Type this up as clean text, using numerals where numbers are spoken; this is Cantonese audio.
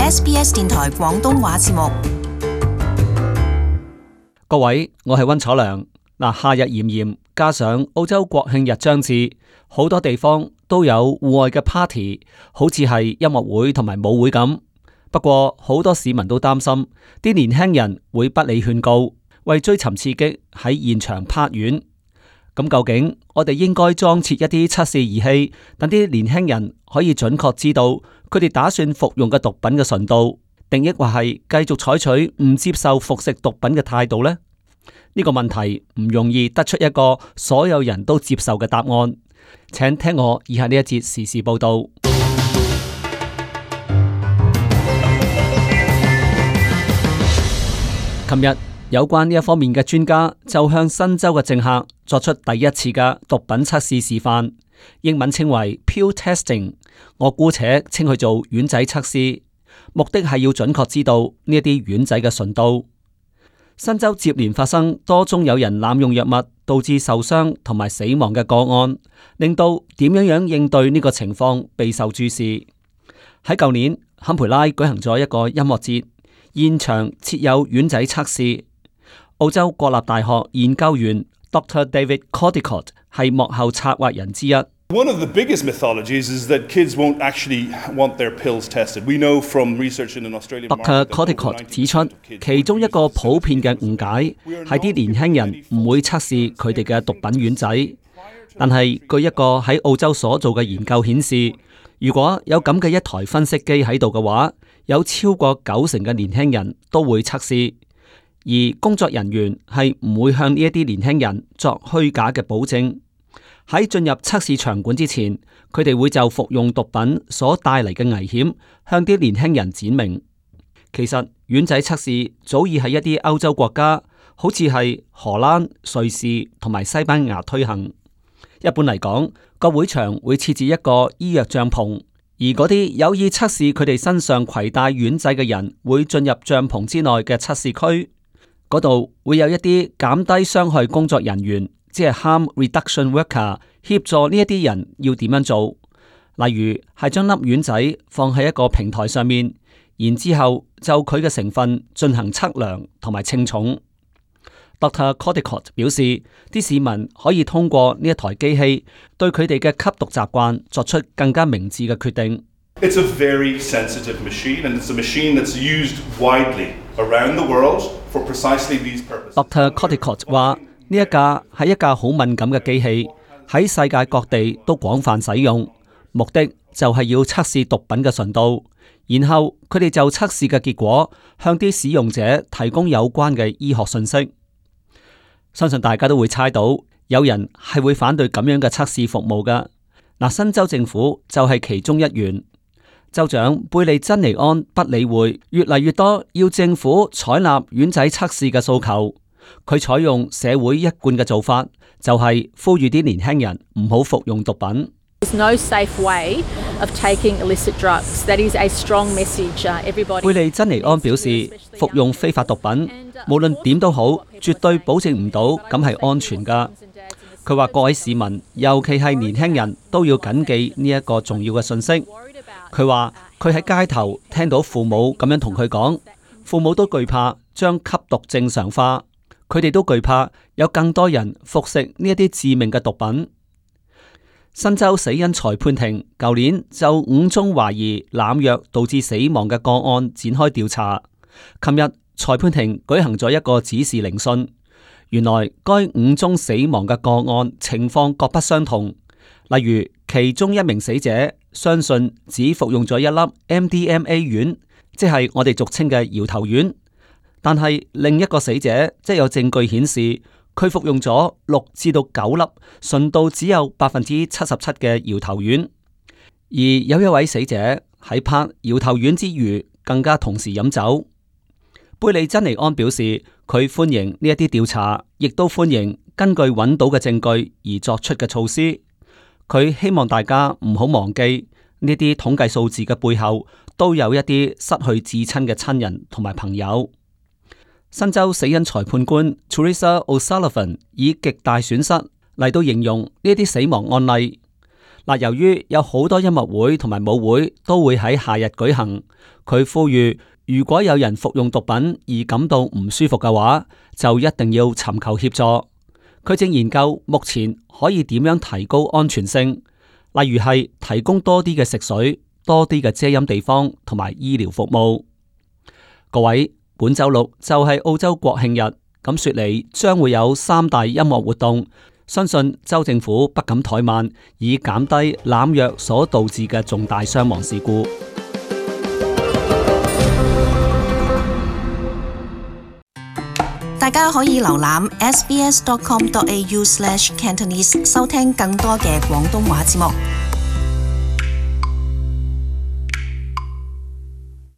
SBS 電台廣東話節目。各位，我係溫楚良。夏日炎炎，加上澳洲國慶日將至，好多地方都有戶外嘅 party， 好似係音樂會同埋舞會咁。不過好多市民都擔心，啲年輕人會不理勸告，為追尋刺激喺現場拍丸。咁究竟我哋應該裝設一啲測試儀器，等啲年輕人可以準確知道佢哋打算服用嘅毒品嘅純度，定抑或係繼續採取唔接受服食毒品嘅態度呢？呢個問題唔容易得出一個所有人都接受嘅答案。請聽我以下呢一節時事報道。琴日有關呢一方面嘅專家就向新州嘅政客作出第一次嘅毒品測試示範，英文稱為 pill testing， 我姑且稱佢做丸仔測試，目的係要準確知道呢一啲丸仔嘅純度。新州接連發生多宗有人濫用藥物導致受傷同埋死亡嘅個案，令到點樣應對呢個情況備受注視。喺舊年，坎培拉舉行咗一個音樂節，現場設有丸仔測試。澳洲國立大學研究員 Dr. David Caldicott 係幕後策劃人之一。One of the biggest mythologies is that kids won't actually want their pills tested. We know from research in an Australian Dr. Caldicott 指出，其中一個普遍嘅誤解係啲年輕人唔會測試佢哋嘅毒品丸仔。但係據一個喺澳洲所做嘅研究顯示，如果有咁嘅一台分析機喺度嘅話，有超過90%嘅年輕人都會測試，而工作人員係唔會向呢一啲年輕人作虛假嘅保證。喺進入測試場館之前，佢哋會就服用毒品所帶嚟嘅危險向啲年輕人展明。其實丸仔測試早已喺一啲歐洲國家，好似係荷蘭、瑞士同埋西班牙推行。一般嚟講，個會場會設置一個醫藥帳篷，而嗰啲有意測試佢哋身上攜帶丸仔嘅人會進入帳篷之內嘅測試區，嗰度會有一啲減低傷害工作人員，即係 harm reduction worker， 協助呢一啲人要點樣做。例如係將粒丸仔放喺一個平台上面，然之後就佢嘅成分進行測量同埋稱重。Dr. Caldicott 表示，啲市民可以通過呢一台機器對佢哋嘅吸毒習慣作出更加明智嘅決定。It's a very sensitive machine, and it's a machine that's used widely around the world for precisely these purposes. Dr. Caldicott 話：呢一架係一架好敏感嘅機器，喺世界各地都廣泛使用，目的就係要測試毒品嘅純度，然後佢哋就測試嘅結果向啲使用者提供有關嘅醫學信息。相信大家都會猜到，有人係會反對咁樣嘅測試服務㗎。新州政府就係其中一員。州長貝利珍尼安不理會越嚟越多要政府採納丸仔測試嘅訴求，佢採用社會一貫嘅做法，就係呼籲啲年輕人唔好服用毒品。貝利珍尼安表示，服用非法毒品，無論點都好，絕對保證唔到咁係安全㗎。佢話各位市民，尤其係年輕人，都要謹記呢一個重要嘅信息。佢話佢喺街頭聽到父母咁樣同佢講，父母都懼怕將吸毒正常化，佢哋都懼怕有更多人服食呢一啲致命嘅毒品。新州死因裁判庭舊年就5宗懷疑濫藥導致死亡嘅個案展開調查。琴日裁判庭舉行咗一個指示聆訊，原來該5宗死亡嘅個案情況各不相同。例如其中一名死者相信只服用咗一粒 MDMA 丸，即係我哋俗稱嘅搖頭丸，但係另一個死者即有證據顯示佢服用咗6至到9粒純度只有77%嘅搖頭丸，而有一位死者喺拍搖頭丸之餘更加同時飲酒。貝利珍尼安表示，佢歡迎呢一啲調查，亦都歡迎根據揾到嘅證據而作出嘅措施。佢希望大家唔好忘記呢啲統計數字嘅背後都有一啲失去至親嘅親人同埋朋友。新州死因裁判官 Teresa O'Sullivan 以極大損失嚟到形容呢啲死亡案例。嗱，由於有好多音樂會同埋舞會都會喺夏日舉行，佢呼籲如果有人服用毒品而感到唔舒服嘅話，就一定要尋求協助。佢正研究目前可以點樣提高安全性，例如係提供多啲嘅食水、多啲嘅遮陰地方同埋醫療服務。各位，本周六就係澳洲國慶日，咁雪梨將會有3大音樂活動。相信州政府不敢怠慢，以減低濫藥所導致嘅重大傷亡事故。大家可以瀏覽 sbs.com.au/Cantonese 收聽更多嘅廣東話節目。